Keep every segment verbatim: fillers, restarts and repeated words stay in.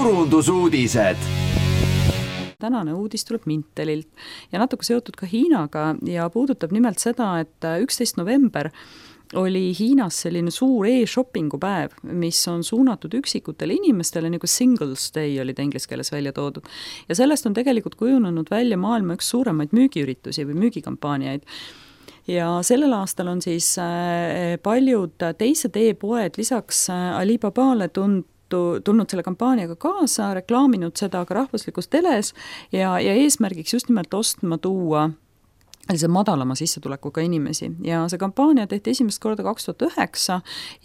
turundusuudised. Tänane uudis tuleb Mintelilt ja natuke seotud ka Hiinaga ja puudutab nimelt seda, et üksteist november oli Hiinas selline suur e-shoppingu päev, mis on suunatud üksikutele inimestele, nagu Singles Day oli ta inglise keeles välja toodud. Ja sellest on tegelikult kujunenud välja maailma üks suuremaid müügiüritusi või müügikampaaniaid. Ja sellel aastal on siis paljud teised e-poed lisaks Alibabale tund tulnud selle kampaaniaga kaasa, reklaaminud seda ka rahvuslikus teles ja, ja eesmärgiks just nimelt ostma tuua see madalama sissetulekuga inimesi. Ja see kampaania tehti esimest korda kaks tuhat üheksa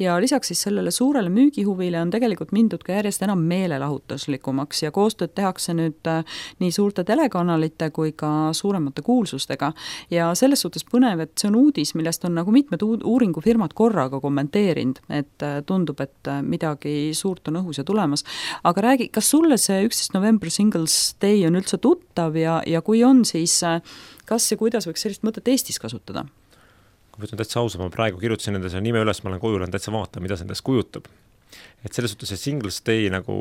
ja lisaks siis sellele suurele müügihuvile on tegelikult mindud ka järjest enam meelelahutuslikumaks ja koostööd tehakse nüüd nii suurte telekanalite kui ka suuremate kuulsustega. Ja selles suhtes põnev, et see on uudis, millest on nagu mitmed uuringufirmad korraga kommenteerinud, et tundub, et midagi suurt on õhus ja tulemas. Aga räägi, kas sulle see üksteist november Singles Day on üldse tuttav ja, ja kui on, siis kas ja kuidas võiks sellist mõtet Eestis kasutada? Kui võtan täitsa ausa, ma praegu kirjutasin enda selle nime üles, ma olen koju, olen täitsa vaata, mida see endast kujutab. Et selles suhtes see Singles Day nagu,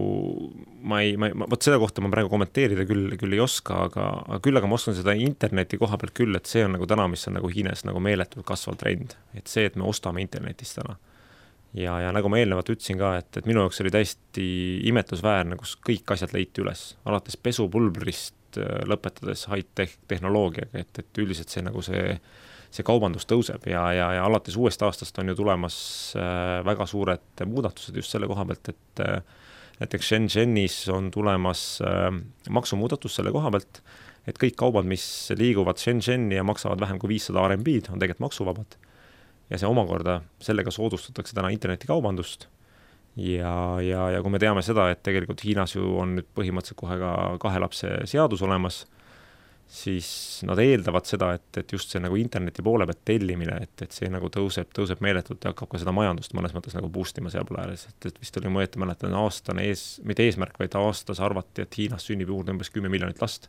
ma ei, ma, võt seda kohta ma praegu kommenteerida küll, küll ei oska, aga, aga küll aga ma oskan seda interneti koha pealt küll, et see on nagu täna, mis on nagu Hiines nagu meeletult kasval trend. Et see, et me ostame internetis täna. Ja, ja nagu ma eelnevalt ütlesin ka, et, et minu jaoks oli täiesti imetlusväärne, kus kõik asjad leiti üles. Alates pesupulbrist lõpetades high-tech tehnoloogiaga, et, et üldiselt see, nagu see, see kaubandus tõuseb ja, ja, ja alates uuest aastast on ju tulemas äh, väga suured muudatused just selle koha pealt, et äh, näiteks Shenzhenis on tulemas äh, maksumuudatus selle koha pealt, et kõik kaubad, mis liiguvad Shenzheni ja maksavad vähem kui viissada R M B-d, on tegelikult maksuvabad. Ja see omakorda, sellega soodustatakse täna internetikaubandust. Ja, ja, ja kui me teame seda, et tegelikult Hiinas ju on nüüd põhimõtteliselt kohe ka kahe lapse seadus olemas, siis nad eeldavad seda, et, et just see nagu interneti poole pealt tellimine, et, et see nagu tõuseb, tõuseb meeletult ja hakkab ka seda majandust mõnes mõttes nagu boostima seal poole ääres. Et, et vist oli mõjeti mäletan aastane ees, mitte eesmärk, vaid aastas arvati, et Hiinas sünnib juurde umbes kümme miljonit last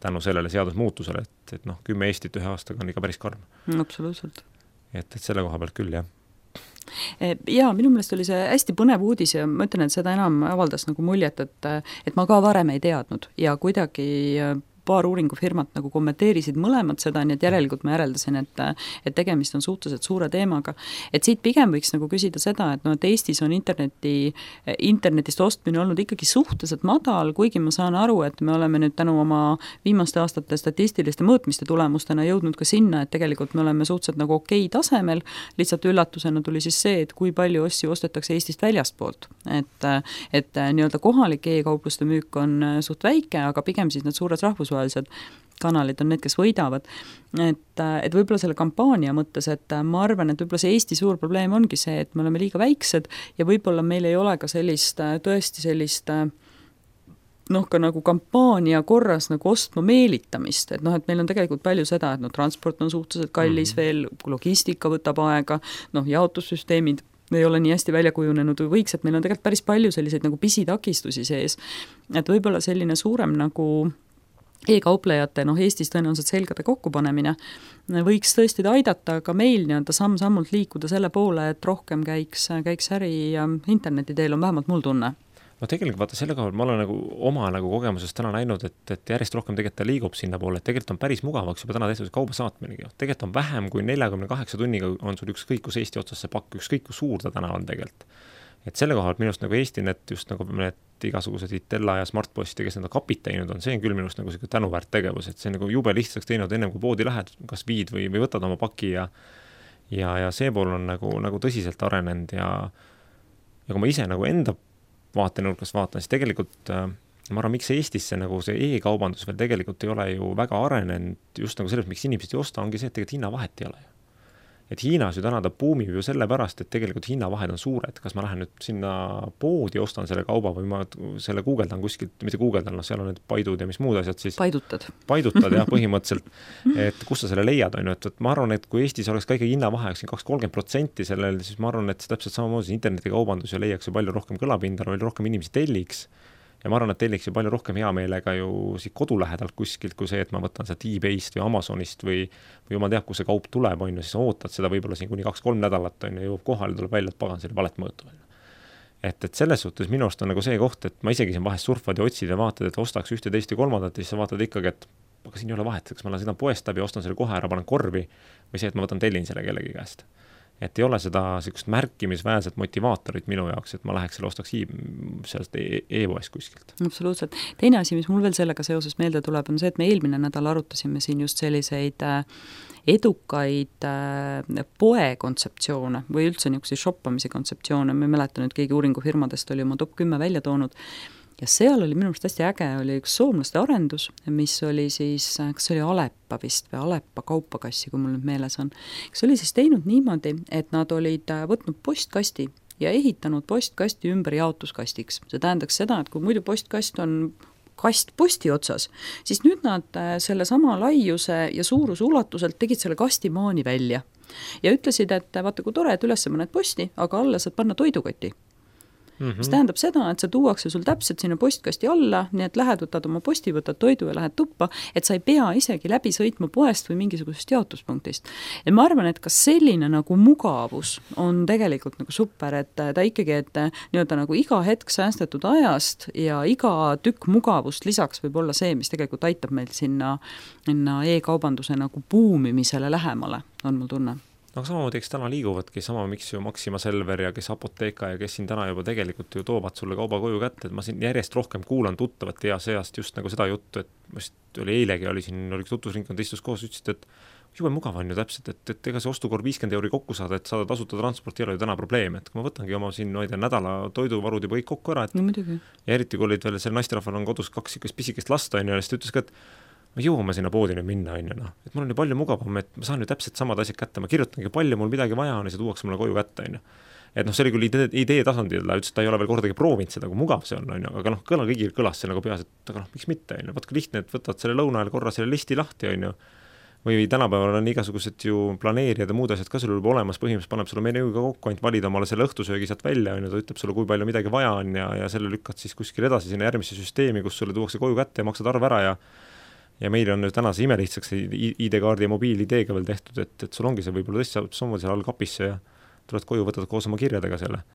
tänu sellele seadusmuutusele, et, et noh, kümme Eestit ühe aastaga on ikka päris karm. Absoluutselt. Et, et selle koha pealt küll, jah. Ja minu meelest oli see hästi põnev uudis ja ma ütlen, et seda enam avaldas nagu muljet, et, et ma ka varem ei teadnud ja kuidagi paar uuringufirmat nagu kommenteerisid mõlemad seda, nii et järelikult ma järeldasin, et, et tegemist on suhteliselt suure teemaga. Et siit pigem võiks nagu küsida seda, et, no, et Eestis on interneti, internetist ostmine olnud ikkagi suhteliselt madal, kuigi ma saan aru, et me oleme nüüd tänu oma viimaste aastate statistiliste mõõtmiste tulemustena jõudnud ka sinna, et tegelikult me oleme suhteliselt nagu okei tasemel, lihtsalt üllatusena tuli siis see, et kui palju asju ostetakse Eestist väljastpoolt. Et, et nii-öelda kohalik e-kaupluste müük on suht väike, aga pigem siis need suured rahvusvahelised kanalid on need, kes võidavad. Et, et võib-olla selle kampaania mõttes, et ma arvan, et võib-olla see Eesti suur probleem ongi see, et me oleme liiga väiksed ja võib-olla meil ei ole ka sellist, tõesti sellist noh, ka nagu kampaania korras nagu ostma meelitamist, et noh, et meil on tegelikult palju seda, et no transport on suhteliselt kallis mm. veel, logistika võtab aega, noh, jaotussüsteemid ei ole nii hästi välja kujunenud või võiks, et meil on tegelikult päris palju selliseid nagu pisitakistusi sees, et võib-olla selline suurem nagu e-kauplejate, noh Eestis tõenäoliselt selgade kokkupanemine võiks tõesti aidata ka meil nii-öelda samm-sammult liikuda selle poole, et rohkem käiks, käiks äri interneti teel, on vähemalt mul tunne. No tegelikult vaata selle koha, ma olen nagu oma nagu kogemusest täna näinud, et, et järjest rohkem tegelikult ta liigub sinna poole, et tegelikult on päris mugavaks juba täna tehtud kauba saatminegi. Tegelikult on vähem kui neljakümne kaheksa tunniga on sul ükskõik, kus Eesti otsas see pakk, ükskõik, kus suur ta täna on tegelikult. Et selle koha, et minust nagu EestiNet just nagu need igasugused Itella ja Smartposti, kes nende kapid teinud on, see on küll minust nagu see tänuväärt tegevus, et see nagu jube lihtsaks teinud ennem kui poodi lähed, kas viid või, või võtad oma paki ja, ja, ja see pool on nagu, nagu tõsiselt arenenud ja, ja kui ma ise nagu enda vaatenurkast vaatan, siis tegelikult ma arvan, miks Eestisse nagu see e-kaubandus veel tegelikult ei ole ju väga arenenud just nagu selles, miks inimesed ei osta, ongi see, et tegelikult hinnavahet ei ole ju. Et Hiinas ju täna ta buumib ju selle pärast, et tegelikult hinnavahed on suured. Kas ma lähen nüüd sinna poodi, ostan selle kauba või ma selle guugeldan kuskilt, mitte guugeldan, no seal on need paidud ja mis muud asjad siis. Paidutad. Paidutad, jah, põhimõtteliselt. Et kus sa selle leiad, on ju, et, et ma arvan, et kui Eestis oleks ka ikka hinnavahe kaks kolmkümmend protsenti sellel, siis ma arvan, et see täpselt samamoodi internetikaubandus ja leiaks ju palju rohkem kõlapinda, palju rohkem inimesi telliks. Ja ma arvan, et telliks ju palju rohkem hea meelega ju siit kodu lähedalt kuskilt, kui see, et ma võtan seda eBayst või Amazonist või, või ma teab, kus see kaup tuleb, on ju, siis ootad seda võib-olla siin kuni kaks kolm nädalat, on ju, jõuab kohale, tuleb välja, et pagan selle valet mõõtu. et, et selles suhtes minu arust on nagu see koht, et ma isegi siin vahest surfad ja otsid ja vaatad, et ostaks ühte, teist ja kolmandat ja siis sa vaatad ikkagi, et aga siin ei ole vahet, kas ma lähen sõidan poest läbi, ostan selle kohe ära, panen korvi või see, et ma võtan tellin selle kellegi käest. Et ei ole seda sellist märkimisväärset motivaatorit minu jaoks, et ma läheks selle ostaks sealt e-poest kuskilt. Absoluutselt. Teine asi, mis mul veel sellega seoses meelde tuleb, on see, et me eelmine nädal arutasime siin just selliseid edukaid poe kontseptsioone või üldse niisuguseid shoppamise kontseptsioone. Me mäletan, et keegi uuringufirmadest oli oma top kümme välja toonud. Ja seal oli minu arust hästi äge, oli üks soomlaste arendus, mis oli siis, kas oli Aleppa vist või Aleppa kaupakassi, kui mul nüüd meeles on. Kas oli siis teinud niimoodi, et nad olid võtnud postkasti ja ehitanud postkasti ümber jaotuskastiks. See tähendaks seda, et kui muidu postkast on kast posti otsas, siis nüüd nad selle sama laiuse ja suuruse ulatuselt tegid selle kastimaani välja. Ja ütlesid, et vaata, kui tore, et üles mõned posti, aga alla saad panna toidukoti. Mm-hmm. Mis tähendab seda, et see tuuakse sul täpselt sinna postkasti alla, nii et lähed, võtad oma posti, võtad toidu ja lähed tuppa, et sa ei pea isegi läbi sõitma poest või mingisugusest jaotuspunktist. Ja ma arvan, et ka selline nagu mugavus on tegelikult nagu super, et ta ikkagi, et nii-öelda nagu iga hetk säästetud ajast ja iga tükk mugavust lisaks võib olla see, mis tegelikult aitab meil sinna, sinna e-kaubanduse nagu buumimisele lähemale, on mul tunne. No samamoodi, eks täna liiguvadki sama, miks ju Maxima Selver ja kes Apoteeka ja kes siin täna juba tegelikult ju toovad sulle kauba koju kätte, et ma siin järjest rohkem kuulan tuttavat ja seast just nagu seda juttu, et vist oli eilegi, oli siin, oli tutvusringkond istus koos, ütlesid, et jube mugav on ju täpselt, et, et ega see ostukorv viiskümmend euri kokku saada, et saada tasuta transport ei ole ju täna probleem, et kui ma võtangi oma siin, no ei tea, nädala toiduvarud juba kõik kokku ära, et no, ja eriti kui olid veel selle naisterahval on kodus kaks ikka pisikest lasta, on ju, ja siis ta ütles ka, et ma jõuame sinna poodi nüüd minna, on ju, no. Et mul on ju palju mugavam, et ma saan ju täpselt samad asjad kätte, ma kirjutangi palju, mul midagi vaja on ja see tuuakse mulle koju kätte, on ju. Et noh, see oli küll idee, idee tasandil, ütles, et ta ei ole veel kordagi proovinud seda, kui mugav see on, on ju, aga noh, kõla kõigil kõlas see nagu peas, et aga noh, miks mitte, on ju, vaat kui lihtne, et võtad selle lõuna ajal korra selle listi lahti, on ju, või tänapäeval on igasugused ju planeerijad ja muud asjad ka sul juba olemas, põhimõtteliselt paneb sulle menüüga kokku, ainult valida omale selle õhtusöögi sealt välja, on ju, ta ütleb sulle, kui palju midagi vaja on ja, ja selle lükkad siis kuskil edasi sinna järgmisse süsteemi, kus sulle tuuakse koju kätte ja maksad arve ära ja ja meil on nüüd täna see imelihtsaks I D-kaardi ja mobiil-ideega veel tehtud, et, et sul ongi see võib-olla tõesti saab samamoodi seal all kapisse ja tuled koju, võtad koos oma kirjadega selle.